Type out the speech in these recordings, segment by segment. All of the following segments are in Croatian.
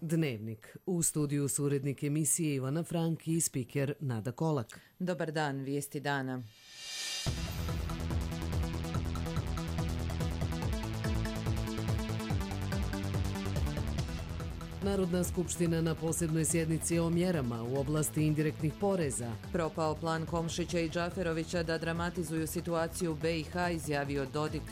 Dnevnik. U studiju su urednik emisije Ivana Frank i spiker Nada Kolak. Dobar dan, vijesti dana. Narodna skupština na posebnoj sjednici o mjerama u oblasti indirektnih poreza. Propao plan Komšića i Džaferovića da dramatizuju situaciju u BiH, izjavio Dodik.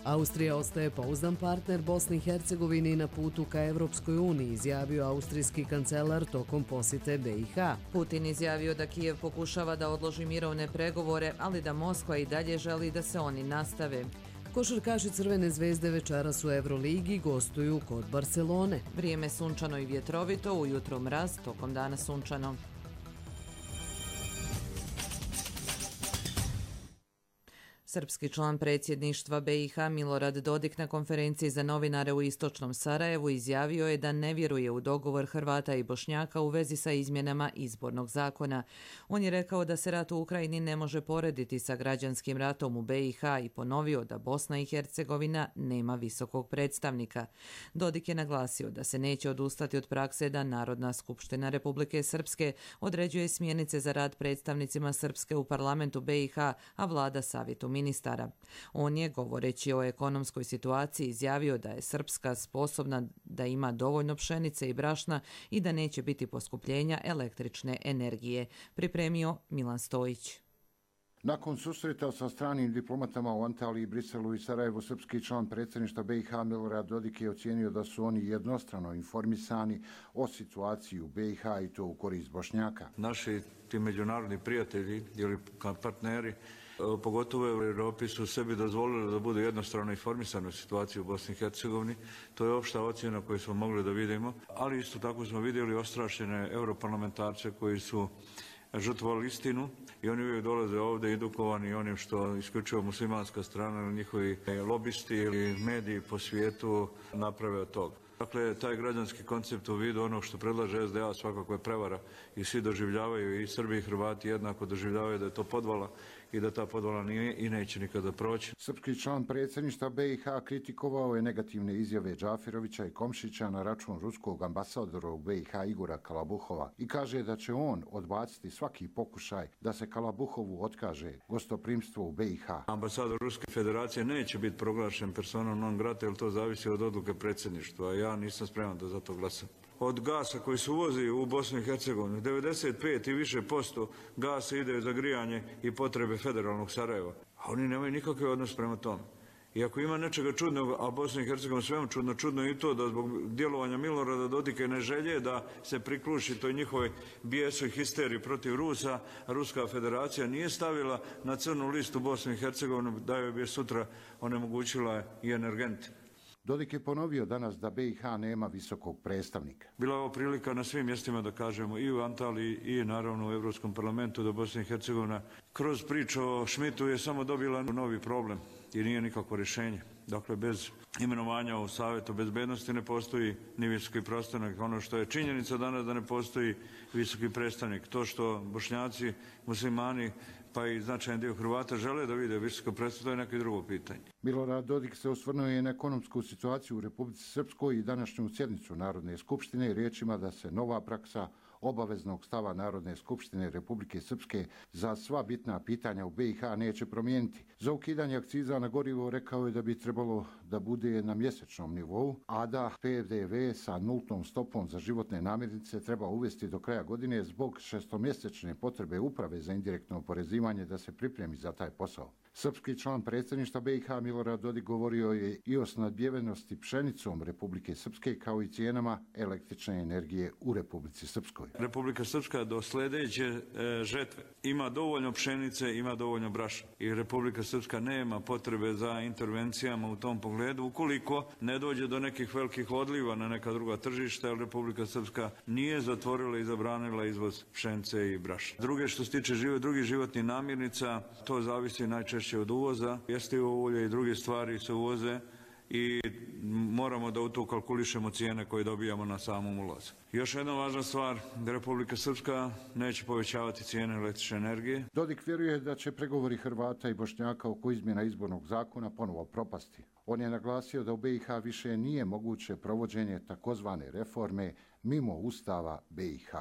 Austrija ostaje pouzdan partner Bosni i Hercegovini na putu ka Evropskoj uniji, izjavio austrijski kancelar tokom posjete BiH. Putin izjavio da Kijev pokušava da odloži mirovne pregovore, ali da Moskva i dalje želi da se oni nastave. Košarkaši Crvene zvezde večeras u Euroligi gostuju kod Barcelone. Vrijeme sunčano i vjetrovito, ujutro mraz, tokom dana sunčano. Srpski član predsjedništva BiH Milorad Dodik na konferenciji za novinare u istočnom Sarajevu izjavio je da ne vjeruje u dogovor Hrvata i Bošnjaka u vezi sa izmjenama izbornog zakona. On je rekao da se rat u Ukrajini ne može porediti sa građanskim ratom u BiH i ponovio da Bosna i Hercegovina nema visokog predstavnika. Dodik je naglasio da se neće odustati od prakse da Narodna skupština Republike Srpske određuje smjernice za rad predstavnicima Srpske u parlamentu BiH, a vlada savjetu ministara. On je, govoreći o ekonomskoj situaciji, izjavio da je Srpska sposobna da ima dovoljno pšenice i brašna i da neće biti poskupljenja električne energije. Pripremio Milan Stojić. Nakon susreta sa stranim diplomatama u Antaliji, Briselu i Sarajevu, srpski član predsjedništva BiH Milorad Dodik je ocijenio da su oni jednostrano informisani o situaciji u BiH i to u korist Bošnjaka. Naši ti međunarodni prijatelji ili partneri, pogotovo u Europi, su sebi dozvolili da budu jednostrano informisani o situaciji u Bosni i Hercegovini. To je opšta ocjena koju smo mogli da vidimo, ali isto tako smo vidjeli ostrašćene europarlamentarce koji su žrtvovali istinu i oni uvijek dolaze ovdje edukovani onim što isključivo muslimanska strana ili njihovi lobisti ili mediji po svijetu naprave od toga. Dakle, taj građanski koncept u vidu onog što predlaže SDA svakako je prevara i svi doživljavaju, i Srbi i Hrvati jednako doživljavaju da je to podvala i da ta podvala nije i neće nikada proći. Srpski član predsjedništva BiH kritikovao je negativne izjave Džaferovića i Komšića na račun ruskog ambasadora u BiH Igora Kalabuhova i kaže da će on odbaciti svaki pokušaj da se Kalabuhovu otkaže gostoprimstvo u BiH. Ambasador Ruske federacije neće biti proglašen personom non grata, jer to zavisi od odluke predsjedništva. Ja nisam spreman da za to glasam. Od gasa koji se uvozi u Bosnu i Hercegovinu, 95 i više posto gasa ide za grijanje i potrebe federalnog Sarajeva. A oni nemaju nikakve odnos prema tome. I ako ima nečega čudnog, a Bosna i Hercegovina svemu čudno je i to da zbog djelovanja Milorada Dodika i ne želje da se prikluši toj njihovoj bijesu i histeriji protiv Rusa, Ruska federacija nije stavila na crnu listu Bosnu i Hercegovinu da joj bi sutra onemogućila i energente. Dodik je ponovio danas da BiH nema visokog predstavnika. Bila je ovo prilika na svim mjestima da kažemo, i u Antaliji i naravno u Europskom parlamentu, da Bosna i Hercegovina kroz priču o Šmitu je samo dobila novi problem i nije nikakvo rješenje. Dakle, bez imenovanja u Savjetu bezbednosti ne postoji ni visoki predstavnik. Ono što je činjenica danas da ne postoji visoki predstavnik. To što Bošnjaci, muslimani pa i značajan dio Hrvata žele da vide visoko predstavnik, to je neko drugo pitanje. Milorad Dodik se osvrnuo i na ekonomsku situaciju u Republici Srpskoj i današnju sjednicu Narodne skupštine riječima da se nova praksa obaveznog stava Narodne skupštine Republike Srpske za sva bitna pitanja u BiH neće promijeniti. Za ukidanje akciza na gorivo rekao je da bi trebalo da bude na mjesečnom nivou, a da PDV sa nultnom stopom za životne namirnice treba uvesti do kraja godine zbog šestomjesečne potrebe Uprave za indirektno oporezivanje da se pripremi za taj posao. Srpski član predsjedništva BiH Milorad Dodik govorio je i o snadbijevenosti pšenicom Republike Srpske kao i cijenama električne energije u Republici Srpskoj. Republika Srpska do sljedeće žetve ima dovoljno pšenice, ima dovoljno brašna i Republika Srpska nema potrebe za intervencijama u tom pogledu ukoliko ne dođe do nekih velikih odliva na neka druga tržišta, jer Republika Srpska nije zatvorila i zabranila izvoz pšenice i brašna. Druge što se tiče drugih životnih namirnica, to zavisi najčešće od uvoza. Jestivo ulje i druge stvari se uvoze i moramo da u to kalkulišemo cijene koje dobijamo na samom ulazu. Još jedna važna stvar, da Republika Srpska neće povećavati cijene električne energije. Dodik vjeruje da će pregovori Hrvata i Bošnjaka oko izmjena izbornog zakona ponovo propasti. On je naglasio da u BiH više nije moguće provođenje takozvane reforme mimo Ustava BiH.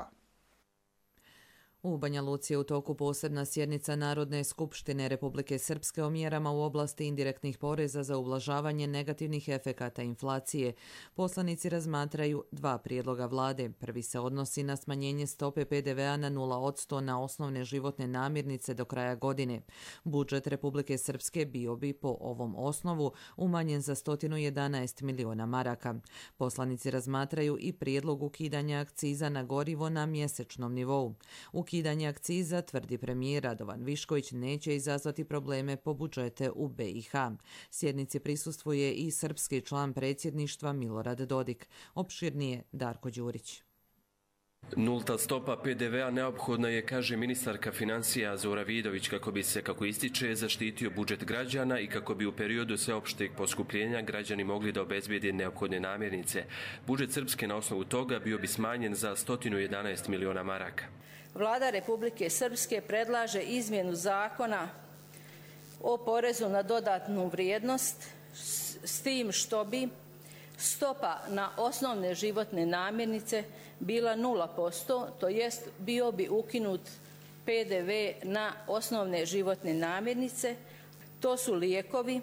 U Banja Luci je u toku posebna sjednica Narodne skupštine Republike Srpske o mjerama u oblasti indirektnih poreza za ublažavanje negativnih efekata inflacije. Poslanici razmatraju dva prijedloga vlade. Prvi se odnosi na smanjenje stope PDV-a na 0% na osnovne životne namirnice do kraja godine. Budžet Republike Srpske bio bi po ovom osnovu umanjen za 111 miliona maraka. Poslanici razmatraju i prijedlog ukidanja akciza na gorivo na mjesečnom nivou. Ukidanje akciza, tvrdi premijer Radovan Višković, neće izazvati probleme po budžete u BiH. Sjednici prisustvuje i srpski član predsjedništva Milorad Dodik. Opširnije Darko Đurić. Nulta stopa PDV-a neophodna je, kaže ministarka financija Zora Vidović, kako bi se, kako ističe, zaštitio budžet građana i kako bi u periodu sveopšteg poskupljenja građani mogli da obezbijede neophodne namirnice. Budžet Srpske na osnovu toga bio bi smanjen za 111 miliona maraka. Vlada Republike Srpske predlaže izmjenu zakona o porezu na dodatnu vrijednost s tim što bi stopa na osnovne životne namirnice bila 0%, to jest bio bi ukinut PDV na osnovne životne namirnice. To su lijekovi,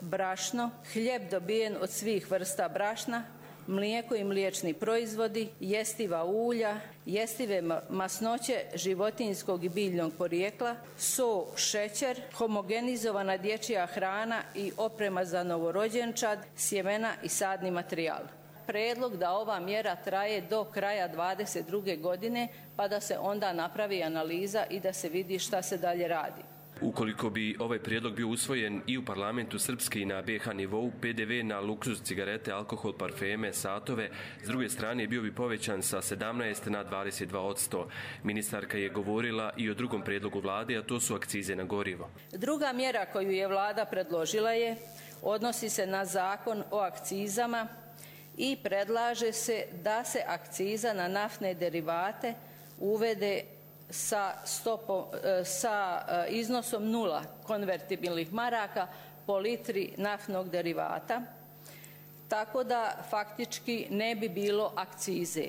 brašno, hljeb dobijen od svih vrsta brašna, mlijeko i mliječni proizvodi, jestiva ulja, jestive masnoće životinjskog i biljnog porijekla, so, šećer, homogenizovana dječja hrana i oprema za novorođenčad, sjemena i sadni materijal. Predlog da ova mjera traje do kraja 2022. godine, pa da se onda napravi analiza i da se vidi šta se dalje radi. Ukoliko bi ovaj prijedlog bio usvojen i u parlamentu Srpske i na BiH nivou, PDV na luksuz, cigarete, alkohol, parfeme, satove, s druge strane bio bi povećan sa 17 na 22%. Ministarka je govorila i o drugom prijedlogu vlade, a to su akcize na gorivo. Druga mjera koju je vlada predložila odnosi se na zakon o akcizama i predlaže se da se akciza na naftne derivate uvede sa iznosom 0 konvertibilnih maraka po litri naftnog derivata, tako da faktički ne bi bilo akcize.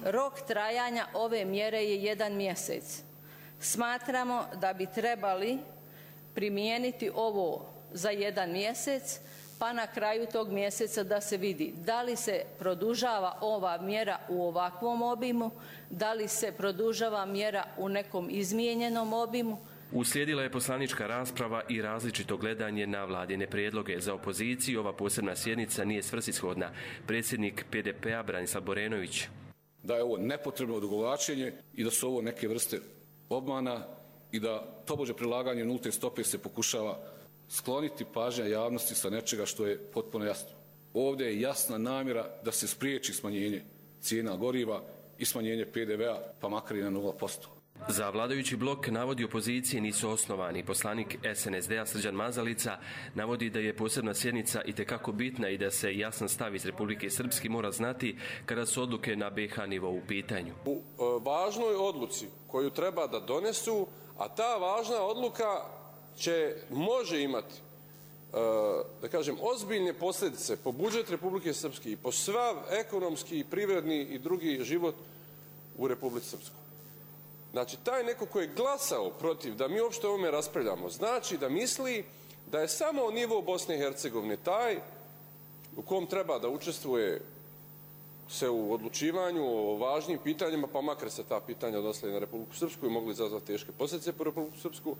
Rok trajanja ove mjere je 1 mjesec. Smatramo da bi trebali primijeniti ovo za 1 mjesec, pa na kraju tog mjeseca da se vidi da li se produžava ova mjera u ovakvom obimu, da li se produžava mjera u nekom izmijenjenom obimu. Uslijedila je poslanička rasprava i različito gledanje na vladine prijedloge. Za opoziciju ova posebna sjednica nije svrsishodna. Predsjednik PDP-a Branislav Borenović. Da je ovo nepotrebno odugovlačenje i da su ovo neke vrste obmana i da tobože prilaganje nulte stope se pokušava skloniti pažnja javnosti sa nečega što je potpuno jasno. Ovdje je jasna namjera da se spriječi smanjenje cijena goriva i smanjenje PDV-a, pa makar i na 0%. Za vladajući blok navodi opozicije nisu osnovani. Poslanik SNSD-a Srđan Mazalica navodi da je posebna sjednica itekako bitna i da se jasan stav iz Republike Srpske mora znati kada su odluke na BiH nivou u pitanju. U važnoj odluci koju treba da donesu, a ta važna odluka može imati, da kažem, ozbiljne posljedice po budžet Republike Srpske i po sav ekonomski, privredni i drugi život u Republici Srpskoj. Znači, taj neko koji je glasao protiv da mi uopšte o ovome raspravljamo, znači da misli da je samo nivo Bosne i Hercegovine taj u kom treba da učestvuje se u odlučivanju o važnim pitanjima, pa makar se ta pitanja odnosila na Republiku Srpsku i mogli izazvati teške posljedice po Republiku Srpsku.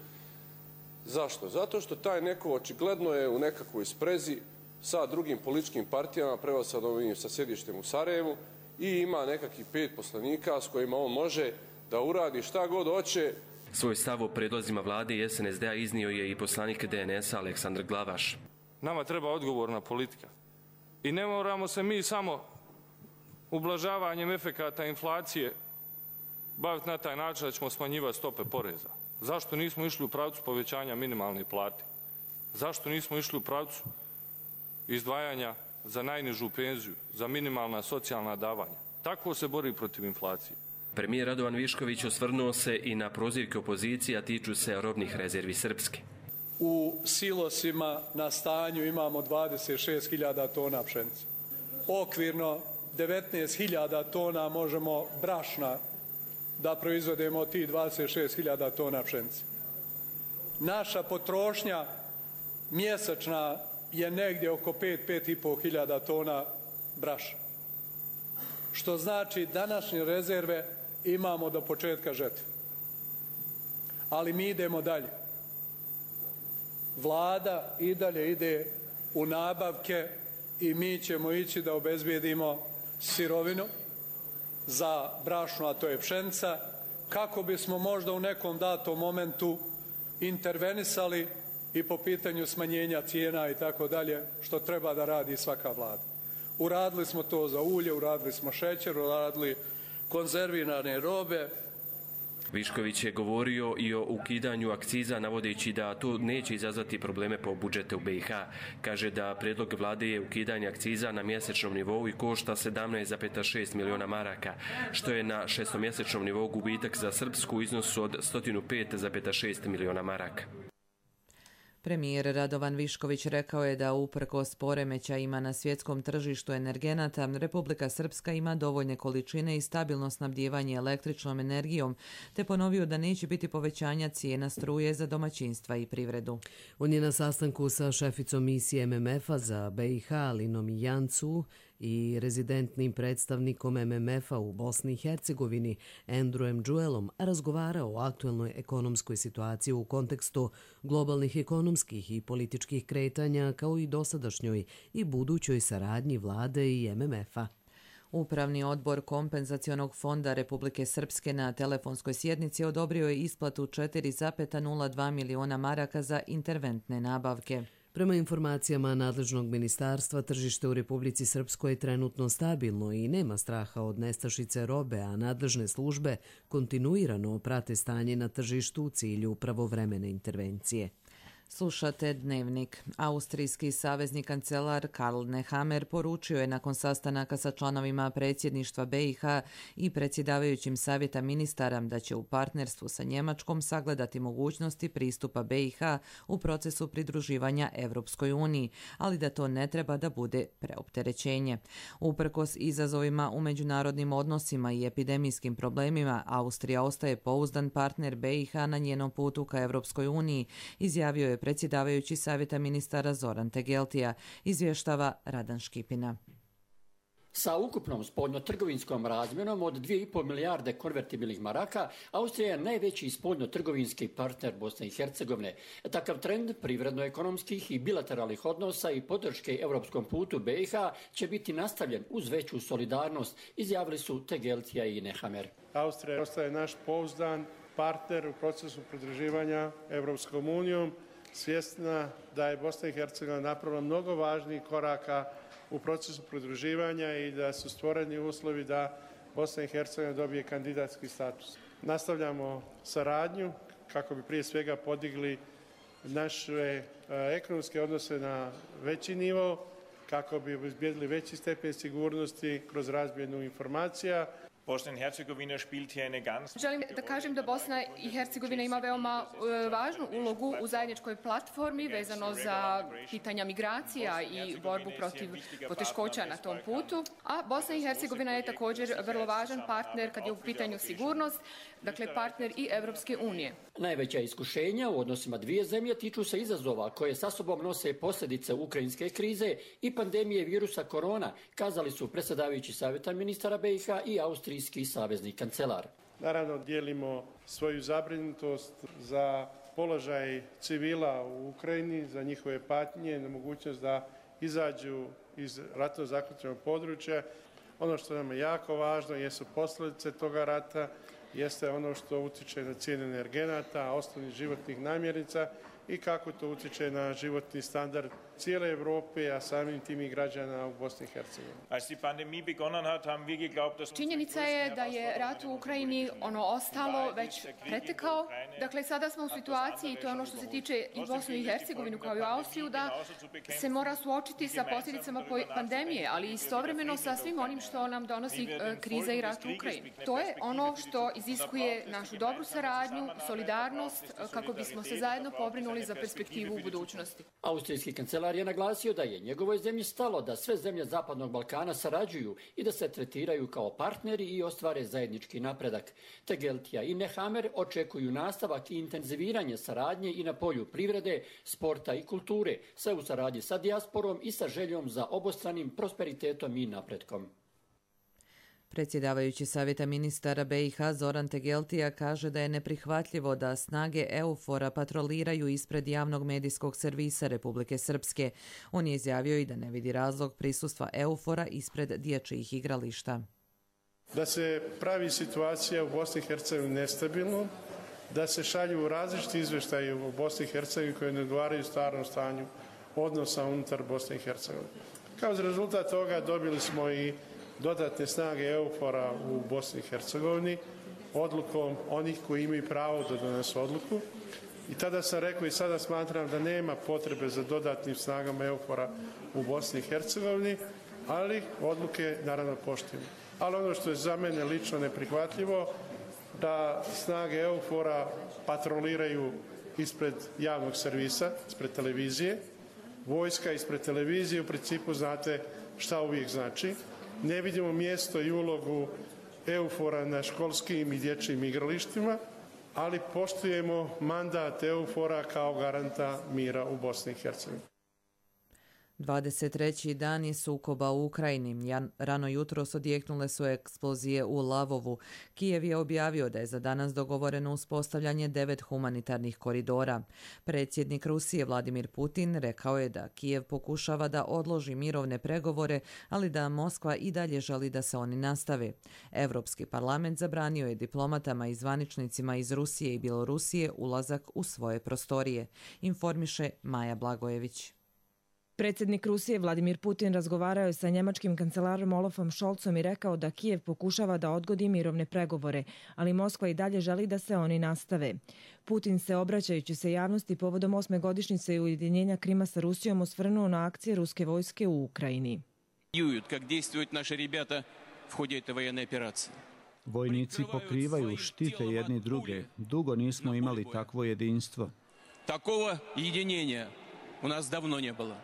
Zašto? Zato što taj neko očigledno je u nekakvoj sprezi sa drugim političkim partijama, prevashodno sa sjedištem u Sarajevu, i ima nekakvih 5 poslanika s kojima on može da uradi šta god hoće. Svoj stav o predlozima vlade i SNSD-a iznio je i poslanik DNS-a Aleksandar Glavaš. Nama treba odgovorna politika. I ne moramo se mi samo ublažavanjem efekata inflacije baviti na taj način da ćemo smanjivati stope poreza. Zašto nismo išli u pravcu povećanja minimalne plate? Zašto nismo išli u pravcu izdvajanja za najnižu penziju, za minimalna socijalna davanja. Tako se bori protiv inflacije. Premijer Radovan Višković osvrnuo se i na prozivke opozicije, a tiču se robnih rezervi Srpske. U silosima na stanju imamo 26.000 tona pšenice. Okvirno 19.000 tona možemo brašna da proizvodimo od tih 26.000 tona pšenice. Naša potrošnja mjesečna je negdje oko 5.500 tona brašna. Što znači današnje rezerve imamo do početka žetve. Ali mi idemo dalje. Vlada i dalje ide u nabavke i mi ćemo ići da obezbijedimo sirovinu za brašno, a to je pšenica, kako bismo možda u nekom datom momentu intervenisali i po pitanju smanjenja cijena i tako dalje, što treba da radi svaka vlada. Uradili smo to za ulje, uradili smo šećer, uradili konzervirane robe. Višković je govorio i o ukidanju akciza, navodeći da to neće izazvati probleme po budžete u BiH. Kaže da prijedlog vlade je ukidanje akciza na mjesečnom nivou i košta 17,6 miliona maraka, što je na šestomjesečnom nivou gubitak za Srpsku u iznosu od 105,6 miliona maraka. Premijer Radovan Višković rekao je da uprkos poremećajima na svjetskom tržištu energenata, Republika Srpska ima dovoljne količine i stabilno snabdijevanje električnom energijom, te ponovio da neće biti povećanja cijena struje za domaćinstva i privredu. On je na sastanku sa šeficom misije MMF-a za BiH Alinom Jancu i rezidentnim predstavnikom MMF-a u Bosni i Hercegovini Andrewem Džuelom razgovarao o aktuelnoj ekonomskoj situaciji u kontekstu globalnih ekonomskih i političkih kretanja, kao i dosadašnjoj i budućoj saradnji vlade i MMF-a. Upravni odbor Kompenzacionog fonda Republike Srpske na telefonskoj sjednici odobrio je isplatu 4,02 miliona maraka za interventne nabavke. Prema informacijama nadležnog ministarstva, tržište u Republici Srpskoj je trenutno stabilno i nema straha od nestašice robe, a nadležne službe kontinuirano prate stanje na tržištu u cilju pravovremene intervencije. Slušate Dnevnik. Austrijski savezni kancelar Karl Nehammer poručio je nakon sastanaka sa članovima predsjedništva BiH i predsjedavajućim savjeta ministara da će u partnerstvu sa Njemačkom sagledati mogućnosti pristupa BiH u procesu pridruživanja Evropskoj uniji, ali da to ne treba da bude preopterećenje. Uprkos izazovima u međunarodnim odnosima i epidemijskim problemima, Austrija ostaje pouzdan partner BiH na njenom putu ka Evropskoj uniji, izjavio je predsjedavajući savjeta ministara Zoran Tegeltija, izvještava Radan Škipina. Sa ukupnom spoljnotrgovinskom razmjenom od 2,5 milijarde konvertibilnih maraka, Austrija je najveći spoljnotrgovinski partner Bosne i Hercegovine. Takav trend privredno-ekonomskih i bilateralnih odnosa i podrške europskom putu BiH će biti nastavljen uz veću solidarnost, izjavili su Tegeltija i Nehammer. Austrija ostaje naš pouzdan partner u procesu pridruživanja Evropskom unijom, svjesna da je Bosna i Hercegovina napravila mnogo važnijih koraka u procesu pridruživanja i da su stvoreni uslovi da Bosna i Hercegovina dobije kandidatski status. Nastavljamo saradnju kako bi prije svega podigli naše ekonomske odnose na veći nivo, kako bi obezbijedili veći stepen sigurnosti kroz razmjenu informacija. Želim da kažem da Bosna i Hercegovina ima veoma važnu ulogu u zajedničkoj platformi vezano za pitanja migracija i borbu protiv poteškoća na tom putu. A Bosna i Hercegovina je također vrlo važan partner kad je u pitanju sigurnost, dakle partner i Evropske unije. Najveća iskušenja u odnosima dvije zemlje tiču se izazova koje sa sobom nose posljedice ukrajinske krize i pandemije virusa korona, kazali su predsjedavajući savjeta ministara BiH i austrijski savezni kancelar. Naravno, dijelimo svoju zabrinutost za položaj civila u Ukrajini, za njihove patnje, na mogućnost da izađu iz ratno zaključenog područja. Ono što nam je jako važno jesu posljedice toga rata, jeste ono što utječe na cijene energenata, osnovnih životnih namirnica i kako to utječe na životni standard cijele Europe, a samim tim i građana u Bosni i Hercegovini. Činjenica je da je rat u Ukrajini ostalo već pretekao. Dakle, sada smo u situaciji, to je ono što se tiče i Bosnu i Hercegovinu kao i Austriju, da se mora suočiti sa posljedicama pandemije, ali istovremeno sa svim onim što nam donosi kriza i rat u Ukrajini. To je ono što iziskuje našu dobru saradnju, solidarnost, kako bismo se zajedno pobrinuli za perspektivu u budućnosti. Austrijski kancelar je naglasio da je njegovoj zemlji stalo da sve zemlje Zapadnog Balkana sarađuju i da se tretiraju kao partneri i ostvare zajednički napredak. Tegeltija i Nehammer očekuju nastavak i intenziviranje saradnje i na polju privrede, sporta i kulture, sve u saradnji sa dijasporom i sa željom za obostranim prosperitetom i napretkom. Predsjedavajući Savjeta ministara BiH Zoran Tegeltija kaže da je neprihvatljivo da snage EUFOR-a patroliraju ispred javnog medijskog servisa Republike Srpske. On je izjavio i da ne vidi razlog prisustva EUFOR-a ispred dječjih igrališta. Da se pravi situacija u Bosni i Hercegovini nestabilno, da se šalju različiti izvještaji u Bosni i Hercegovini koji ne odgovaraju stvarnom stanju odnosa unutar Bosne i Hercegovine. Kao rezultat toga dobili smo i dodatne snage EUFOR-a u Bosni i Hercegovini odlukom onih koji imaju pravo da donesu odluku. I tada sam rekao i sada smatram da nema potrebe za dodatnim snagama EUFOR-a u Bosni i Hercegovini, ali odluke naravno poštujemo. Ali ono što je za mene lično neprihvatljivo, da snage EUFOR-a patroliraju ispred javnog servisa, ispred televizije. Vojska ispred televizije u principu znate šta uvijek znači. Ne vidimo mjesto i ulogu EUFOR-a na školskim i dječjim igralištima, ali poštujemo mandat EUFOR-a kao garanta mira u Bosni i Hercegovini. 23. dan je sukoba u Ukrajini. Rano jutros odjeknule su eksplozije u Lavovu. Kijev je objavio da je za danas dogovoreno uspostavljanje 9 humanitarnih koridora. Predsjednik Rusije Vladimir Putin rekao je da Kijev pokušava da odloži mirovne pregovore, ali da Moskva i dalje želi da se oni nastave. Europski parlament zabranio je diplomatama i zvaničnicima iz Rusije i Bjelorusije ulazak u svoje prostorije, informiše Maja Blagojević. Predsjednik Rusije Vladimir Putin razgovarao je sa njemačkim kancelarom Olafom Scholzom i rekao da Kijev pokušava da odgodi mirovne pregovore, ali Moskva i dalje želi da se oni nastave. Putin se, obraćajući se javnosti povodom 8. godišnjice ujedinjenja Krima sa Rusijom, osvrnuo na akcije ruske vojske u Ukrajini. Vojnici pokrivaju, štite jedni druge. Dugo nismo imali takvo jedinstvo. Takvo jedinjenja u nas davno ne bilo.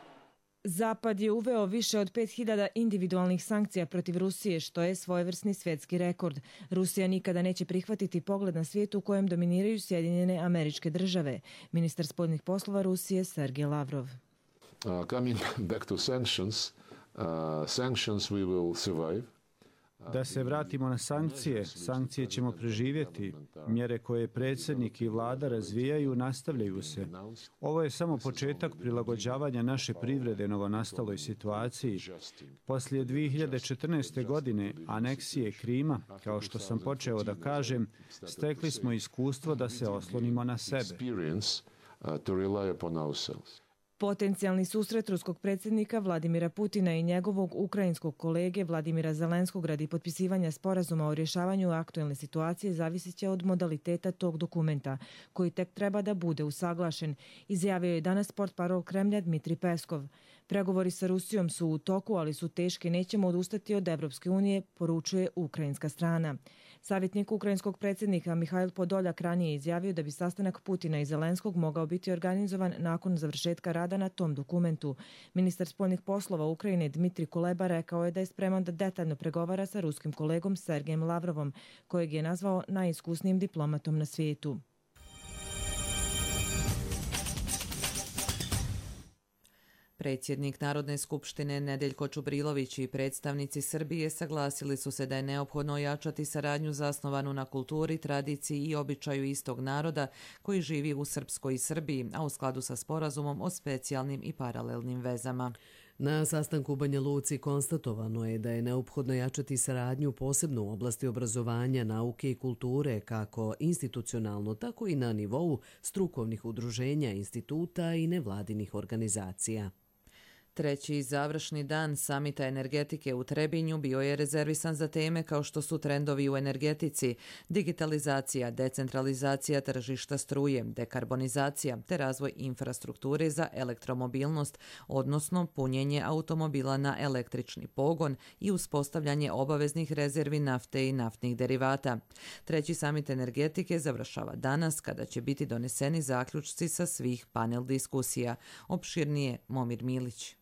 Zapad je uveo više od 5000 individualnih sankcija protiv Rusije, što je svojevrsni svjetski rekord. Rusija nikada neće prihvatiti pogled na svijet u kojem dominiraju Sjedinjene Američke Države. Ministar spoljnih poslova Rusije Sergej Lavrov. Coming back to sanctions, sanctions we will survive. Da se vratimo na sankcije, sankcije ćemo preživjeti. Mjere koje predsjednik i vlada razvijaju nastavljaju se. Ovo je samo početak prilagođavanja naše privrede novonastaloj situaciji. Poslije 2014. godine aneksije Krima, kao što sam počeo da kažem, stekli smo iskustvo da se oslonimo na sebe. Potencijalni susret ruskog predsjednika Vladimira Putina i njegovog ukrajinskog kolege Vladimira Zelenskog radi potpisivanja sporazuma o rješavanju aktuelne situacije zavisit će od modaliteta tog dokumenta, koji tek treba da bude usaglašen, izjavio je danas portparol Kremlja Dmitri Peskov. Pregovori sa Rusijom su u toku, ali su teški, nećemo odustati od Evropske unije, poručuje ukrajinska strana. Savjetnik ukrajinskog predsjednika Mihajl Podoljak ranije izjavio da bi sastanak Putina i Zelenskog mogao biti organizovan nakon završetka rada na tom dokumentu. Ministar spoljnih poslova Ukrajine Dmitri Kuleba rekao je da je spreman da detaljno pregovara sa ruskim kolegom Sergejem Lavrovom, kojeg je nazvao najiskusnijim diplomatom na svijetu. Predsjednik Narodne skupštine Nedeljko Čubrilović i predstavnici Srbije saglasili su se da je neophodno ojačati saradnju zasnovanu na kulturi, tradiciji i običaju istog naroda koji živi u Srpskoj i Srbiji, a u skladu sa sporazumom o specijalnim i paralelnim vezama. Na sastanku u Banja Luci konstatovano je da je neophodno jačati saradnju posebno u oblasti obrazovanja, nauke i kulture, kako institucionalno, tako i na nivou strukovnih udruženja, instituta i nevladinih organizacija. Treći završni dan samita energetike u Trebinju bio je rezervisan za teme kao što su trendovi u energetici, digitalizacija, decentralizacija tržišta struje, dekarbonizacija te razvoj infrastrukture za elektromobilnost, odnosno punjenje automobila na električni pogon i uspostavljanje obaveznih rezervi nafte i naftnih derivata. Treći samit energetike završava danas kada će biti doneseni zaključci sa svih panel diskusija. Opširnije Momir Milić.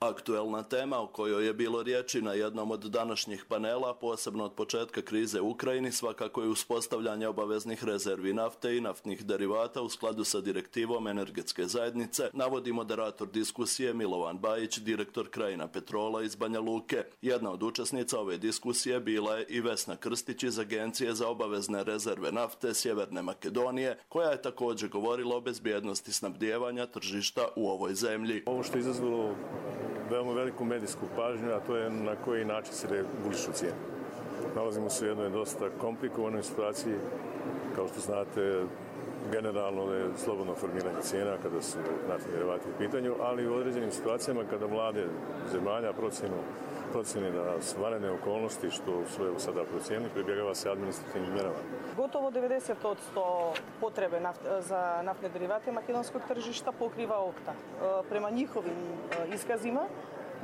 Aktuelna tema o kojoj je bilo riječi na jednom od današnjih panela, posebno od početka krize u Ukrajini, svakako je uspostavljanje obaveznih rezervi nafte i naftnih derivata u skladu sa direktivom energetske zajednice, navodi moderator diskusije Milovan Bajić, direktor Krajina Petrola iz Banja Luke. Jedna od učesnica ove diskusije bila je i Vesna Krstić iz Agencije za obavezne rezerve nafte Sjeverne Makedonije, koja je također govorila o bezbjednosti snabdijevanja tržišta u ovoj zemlji. Ovo što je izazvalo veoma veliku medijsku pažnju, a to je na koji način se regulišu cijene. Nalazimo se u jednoj dosta komplikovanoj situaciji. Kao što znate, generalno je slobodno formiranje cijena kada su naftni derivati u pitanju, ali u određenim situacijama kada vlade zemalja procjeni da su vanredne okolnosti, što su evo sada procijenili, pribjegava se administrativnim mjerama. Gotovo 90% potrebe za naftne derivate makedonskog tržišta pokriva Okta. Prema njihovim iskazima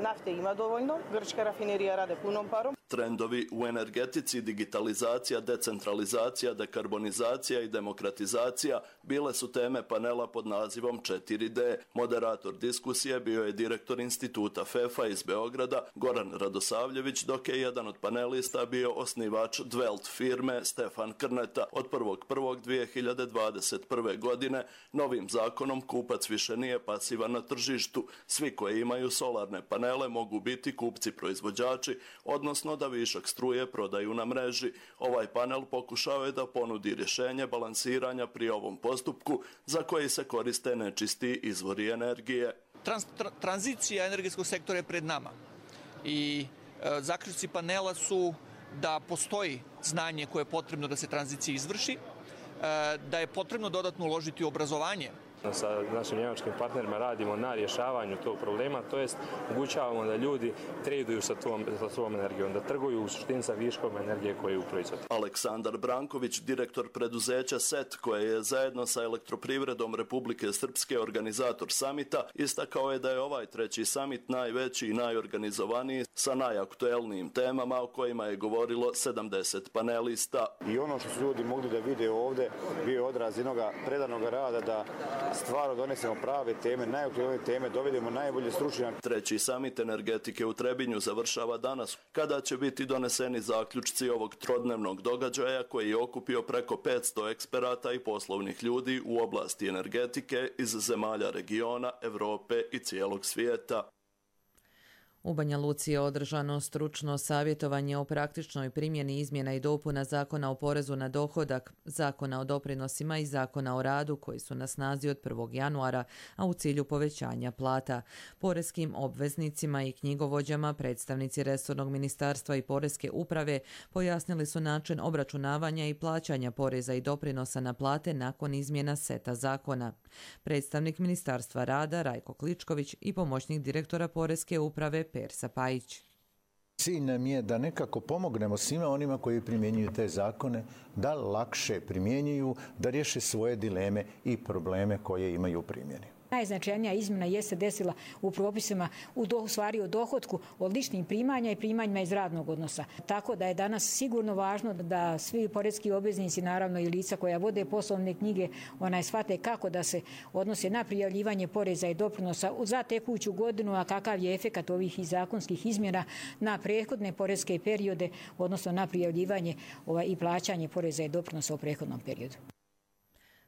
nafte ima dovoljno, grčka rafinerija rade punom parom. Trendovi u energetici, digitalizacija, decentralizacija, dekarbonizacija i demokratizacija bile su teme panela pod nazivom 4D. Moderator diskusije bio je direktor instituta FEFA iz Beograda, Goran Radosavljević, dok je jedan od panelista bio osnivač Dwelt firme Stefan Krneta. Od 1.1.2021. godine novim zakonom kupac više nije pasivan na tržištu. Svi koji imaju solarne panele mogu biti kupci proizvođači, odnosno da višak struje prodaju na mreži. Ovaj panel pokušao je da ponudi rješenje balansiranja pri ovom postupku za koji se koriste nečisti izvori energije. Tranzicija energetskog sektora je pred nama i zaključci panela su da postoji znanje koje je potrebno da se tranzicija izvrši, da je potrebno dodatno uložiti u obrazovanje. Sa našim njemačkim partnerima radimo na rješavanju tog problema, to jest omogućavamo da ljudi traduju sa svom energijom, da trguju u suštini sa viškom energije koju proizvode. Aleksandar Branković, direktor preduzeća SET, koje je zajedno sa Elektroprivredom Republike Srpske organizator samita, istakao je da je ovaj treći samit najveći i najorganizovaniji sa najaktuelnijim temama o kojima je govorilo 70 panelista. I ono što su ljudi mogli da vide ovdje bio je odraz jednog predanog rada da stvarno donesemo prave teme, najaktuelnije teme, dovedemo najbolje stručnjake. Treći samit energetike u Trebinju završava danas, kada će biti doneseni zaključci ovog trodnevnog događaja koji je okupio preko 500 eksperata i poslovnih ljudi u oblasti energetike iz zemalja regiona, Europe i cijelog svijeta. U Banja Luci je održano stručno savjetovanje o praktičnoj primjeni izmjena i dopuna Zakona o porezu na dohodak, Zakona o doprinosima i Zakona o radu koji su na snazi od 1. januara, a u cilju povećanja plata. Poreskim obveznicima i knjigovođama predstavnici resornog ministarstva i poreske uprave pojasnili su način obračunavanja i plaćanja poreza i doprinosa na plate nakon izmjena seta zakona. Predstavnik Ministarstva rada Rajko Kličković i pomoćnik direktora poreske uprave Persa Pajić. Cilj nam je da nekako pomognemo svima onima koji primjenjuju te zakone, da lakše primjenjuju, da riješe svoje dileme i probleme koje imaju u primjeni. Najznačajnija izmjena jeste desila u propisima u stvari o dohotku od ličnih primanja i primanjima iz radnog odnosa. Tako da je danas sigurno važno da svi poreski obveznici, naravno i lica koja vode poslovne knjige, shvate kako da se odnose na prijavljivanje poreza i doprinosa za tekuću godinu, a kakav je efekat ovih zakonskih izmjena na prethodne poreske periode, odnosno na prijavljivanje i plaćanje poreza i doprinosa u prethodnom periodu.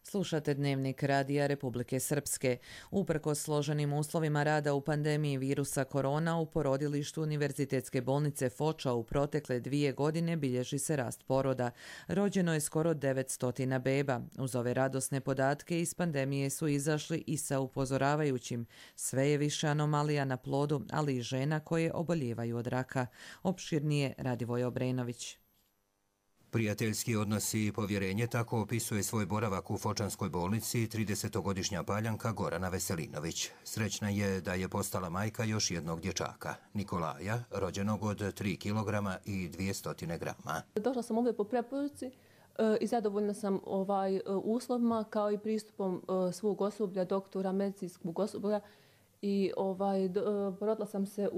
Slušate Dnevnik Radija Republike Srpske. Uprkos složenim uslovima rada u pandemiji virusa korona, u porodilištu Univerzitetske bolnice Foča u protekle 2 godine bilježi se rast poroda. Rođeno je skoro 900 beba. Uz ove radosne podatke iz pandemije su izašli i sa upozoravajućim. Sve je više anomalija na plodu, ali i žena koje oboljevaju od raka. Opširnije Radivoj Obrenović. Prijateljski odnosi i povjerenje, tako opisuje svoj boravak u Fočanskoj bolnici 30-godišnja Paljanka Gorana Veselinović. Srećna je da je postala majka još jednog dječaka, Nikolaja, rođenog od 3 kg i 200 grama. Došla sam ovdje po preporuci i zadovoljna sam uslovima kao i pristupom svog osoblja, doktora, medicinskog osoblja i porodila sam se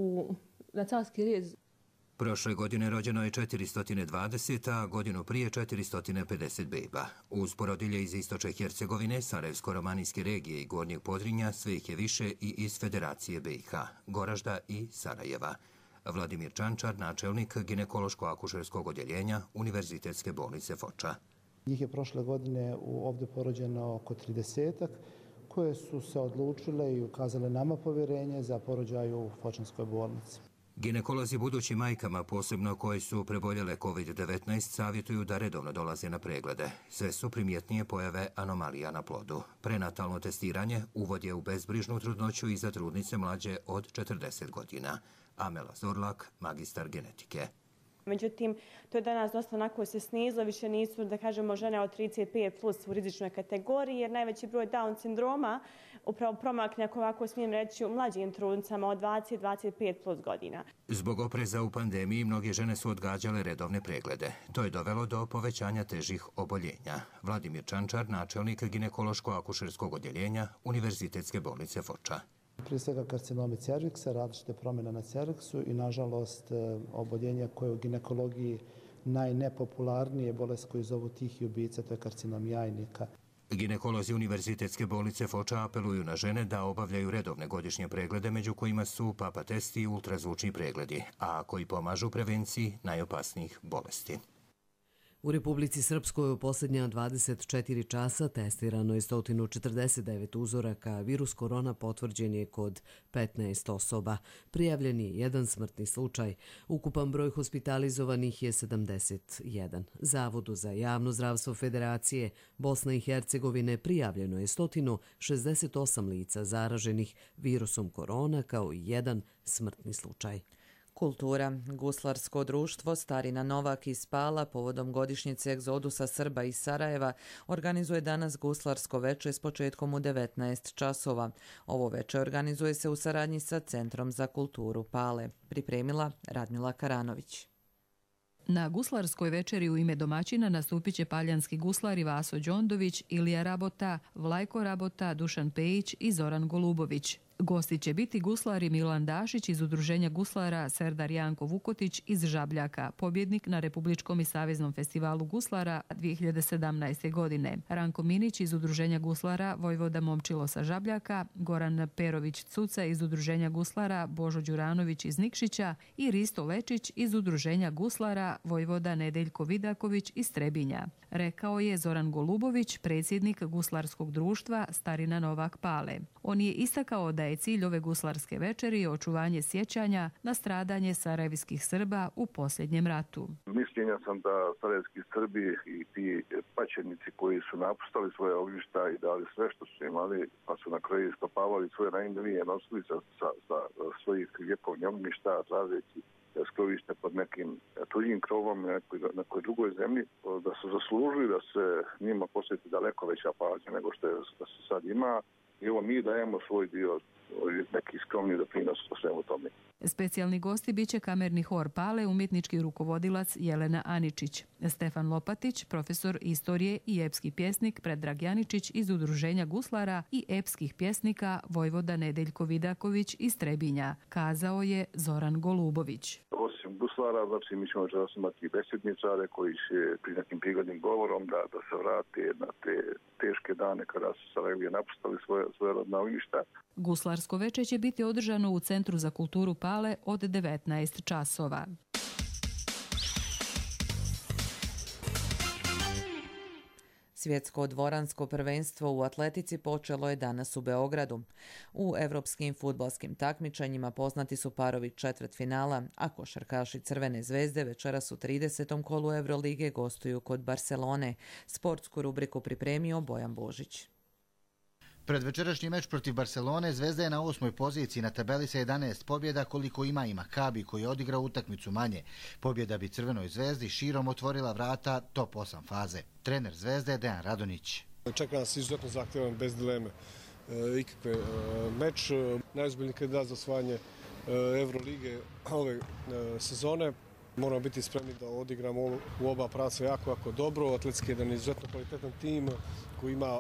na carski rez. Prošle godine rođeno je 420, a godinu prije 450 beba. Uz porodilje iz Istočne Hercegovine, Sarajevsko-romanijske regije i Gornjeg Podrinja, sve ih je više i iz Federacije BiH, Goražda i Sarajeva. Vladimir Čančar, načelnik ginekološko-akušerskog odjeljenja Univerzitetske bolnice Foča. Njih je prošle godine ovdje porođeno oko 30-ak, koje su se odlučile i ukazale nama povjerenje za porođaj u Fočanskoj bolnici. Ginekolozi budućim majkama, posebno koje su preboljele COVID-19, savjetuju da redovno dolaze na preglede. Sve su primjetnije pojave anomalija na plodu. Prenatalno testiranje uvod je u bezbrižnu trudnoću i za trudnice mlađe od 40 godina. Amela Zorlak, magistar genetike. Međutim, to je danas dosta onako se snizilo, više nisu, da kažemo, žene od 35 plus u rizičnoj kategoriji, jer najveći broj Down sindroma upravo promakne, ako ovako smijem reći, u mlađim trudnicama od 20-25 plus godina. Zbog opreza u pandemiji, mnoge žene su odgađale redovne preglede. To je dovelo do povećanja težih oboljenja. Vladimir Čančar, načelnik ginekološko-akušerskog odjeljenja Univerzitetske bolnice Foča. Prije svega karcinomi cerviksa, različite promjene na cerviksu i nažalost oboljenja koje je u ginekologiji najnepopularnije bolest koju zovu tihi ubica, to je karcinom jajnika. Ginekolozi Univerzitetske bolnice Foča apeluju na žene da obavljaju redovne godišnje preglede, među kojima su papa testi i ultrazvučni pregledi, a koji pomažu prevenciji najopasnijih bolesti. U Republici Srpskoj u posljednja 24 časa testirano je 149 uzoraka, virus korona potvrđen je kod 15 osoba. Prijavljen je 1 smrtni slučaj. Ukupan broj hospitalizovanih je 71. Zavodu za javno zdravstvo Federacije Bosne i Hercegovine prijavljeno je 168 lica zaraženih virusom korona kao i 1 smrtni slučaj. Kultura. Guslarsko društvo Starina Novak iz Pala povodom godišnjice egzodusa Srba iz Sarajeva organizuje danas guslarsko veče s početkom u 19 časova. Ovo veče organizuje se u saradnji sa Centrom za kulturu Pale. Pripremila Radmila Karanović. Na guslarskoj večeri u ime domaćina nastupit će paljanski guslari Vaso Đondović, Ilija Rabota, Vlajko Rabota, Dušan Pejić i Zoran Golubović. Gosti će biti guslari Milan Dašić iz Udruženja guslara, Serdar Janko Vukotić iz Žabljaka, pobjednik na Republičkom i Saveznom festivalu guslara 2017. godine, Ranko Minić iz Udruženja guslara Vojvoda Momčilo sa Žabljaka, Goran Perović-Cuca iz Udruženja guslara, Božo Đuranović iz Nikšića i Risto Lečić iz Udruženja guslara Vojvoda Nedeljko Vidaković iz Trebinja, rekao je Zoran Golubović, predsjednik guslarskog društva Starina Novak Pale. On je istakao da je cilj ove guslarske večeri očuvanje sjećanja na stradanje sarajevskih Srba u posljednjem ratu. Mišljenja sam da sarajevski Srbi i ti pačenici koji su napustali svoje ognjišta i dali sve što su imali, pa su na kraju iskopavali svoje najmilije, nosili sa svojih ljekovnih ognjišta, tražeći skrovište pod nekim tuđim krovom na nekoj drugoj zemlji, da su zaslužili da se njima posveti daleko veća pažnja nego što se sad ima. I evo mi dajemo svoj dio, neki skromni doprinos o svemu tome. Specijalni gosti biće kamerni hor Pale, umjetnički rukovodilac Jelena Aničić, Stefan Lopatić, profesor istorije i epski pjesnik Predrag Janičić iz Udruženja guslara i epskih pjesnika Vojvoda Nedeljko Vidaković iz Trebinja, kazao je Zoran Golubović. Osim guslara, znači mi ćemo večeras imati besedničare koji će pri nekim prigodnim govorom da se vrate na te teške dane kada su Sarajevije napustali svoje rodna ognjišta. Guslarsko veče će biti održano u Centru za kulturu Pale od 19 časova. Svjetsko dvoransko prvenstvo u atletici počelo je danas u Beogradu. U evropskim fudbalskim takmičenjima poznati su parovi četvrtfinala, a košarkaši Crvene zvezde večeras u 30. kolu Evrolige gostuju kod Barcelone. Sportsku rubriku pripremio Bojan Božić. Pred večerašnji meč protiv Barcelone Zvezda je na 8. poziciji na tabeli sa 11 pobjeda koliko ima i Makabi koji je odigrao utakmicu manje. Pobjeda bi Crvenoj zvezdi širom otvorila vrata top 8 faze. Trener Zvezde je Dejan Radonjić. Čeka nas izuzetno zahtjevan, bez dileme ikakve meč. Najozbiljniji kandidat za osvajanje Evrolige ove sezone. Moramo biti spremni da odigramo u oba pravca jako dobro. Atletski je jedan izuzetno kvalitetan tim koji ima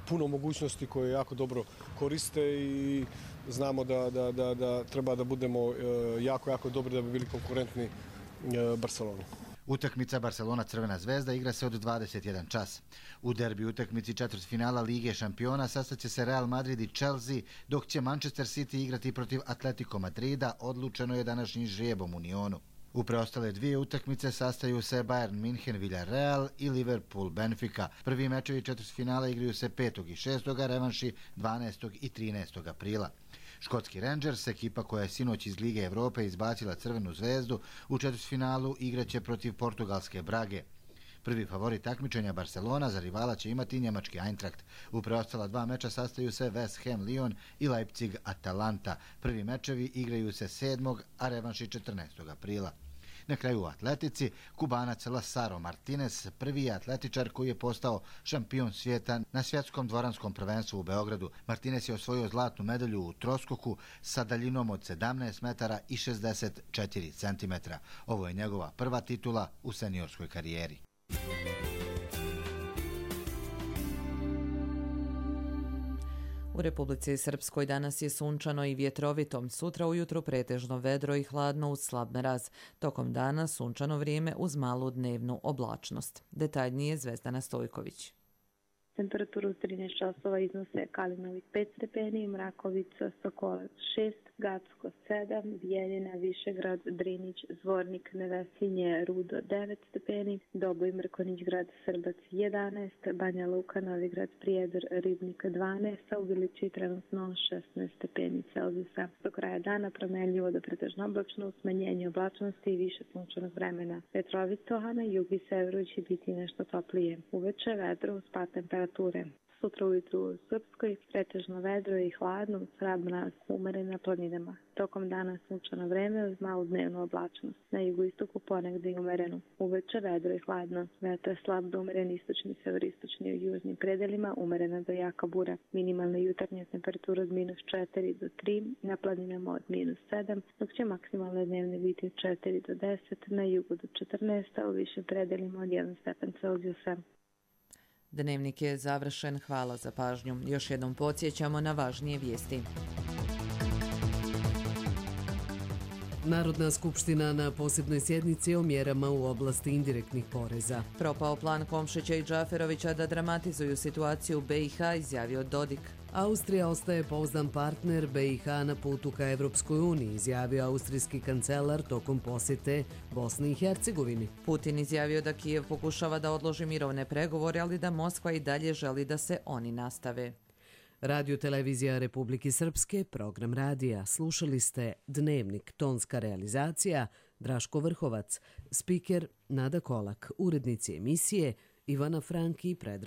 puno mogućnosti koje jako dobro koriste i znamo da treba da budemo jako dobri da bi bili konkurentni Barceloni. Utakmica Barcelona-Crvena zvezda igra se od 21 čas. U derbi utakmici četvrtfinala Lige šampiona sastaće se Real Madrid i Chelsea, dok će Manchester City igrati protiv Atletico Madrida, odlučeno je današnjim žrijebom u Unionu. U preostale dvije utakmice sastaju se Bayern München, Villarreal i Liverpool Benfica. Prvi mečevi četvrtfinala igraju se 5. i 6. revanši 12. i 13. aprila. Škotski Rangers, ekipa koja je sinoć iz Lige Evrope izbacila Crvenu zvezdu, u četvrtfinalu igraće protiv portugalske Brage. Prvi favorit takmičenja Barcelona za rivala će imati njemački Eintracht. U preostala dva meča sastaju se West Ham Lyon i Leipzig Atalanta. Prvi mečevi igraju se 7. a revanši 14. aprila. Na kraju u atletici, Kubanac Lazaro Martinez prvi je atletičar koji je postao šampion svijeta na svjetskom dvoranskom prvenstvu u Beogradu. Martinez je osvojio zlatnu medalju u troskoku sa daljinom od 17 metara i 64 centimetra. Ovo je njegova prva titula u seniorskoj karijeri. U Republici Srpskoj danas je sunčano i vjetrovito. Sutra ujutro pretežno vedro i hladno uz slab mraz. Tokom dana sunčano vrijeme uz malu dnevnu oblačnost. Detaljnije Zvezdana Stojković. Temperaturu u 13 časova iznose Kalinovik 5 stepeni, Mrakovica, Sokolac 6, Gacko 7, Bijeljina, Višegrad, Drinić, Zvornik, Nevesinje, Rudo 9 stepeni, Doboj, Mrkonić, grad Srbac 11, Banja Luka, Novigrad, Prijedor, Ribnik 12, a u Bilići trenutno 16 stepeni Celzijusa. Do kraja dana promenljivo do pretežno oblačno, smanjenje oblačnosti i više sunčanog vremena. Vetrovito, a na jugu i severu će biti nešto toplije. Uveče vedro uz pad temperature. Sutra ujutru u Srpskoj pretežno vedro i hladno, slab mraz, umeren na planinama. Tokom dana sunčano vreme uz malu dnevnu oblačnost. Na jugoistoku ponegde i umereno. Uveče vedro i hladno. Vetar slab do umeren istočni, severistočni u južnim predelima, umerena do jaka bura. Minimalna jutarnja temperatura od -4 do 3, na planinama od -7, dok će maksimalne dnevne biti od 4 do 10, na jugu do 14, a u višim predelima od 1 stepen Celzijusa. Dnevnik je završen. Hvala za pažnju. Još jednom podsjećamo na važnije vijesti. Narodna skupština na posebnoj sjednici o mjerama u oblasti indirektnih poreza. Propao plan Komšića i Džaferovića da dramatizuju situaciju u BiH, izjavio Dodik. Austrija ostaje pouzdan partner BiH na putu ka Evropskoj uniji, izjavio austrijski kancelar tokom posjete Bosni i Hercegovini. Putin izjavio da Kijev pokušava da odloži mirovne pregovore, ali da Moskva i dalje želi da se oni nastave. Radio Televizija Republike Srpske, program radija. Slušali ste Dnevnik, tonska realizacija Draško Vrhovac, spiker Nada Kolak, urednici emisije Ivana Franki i Predrag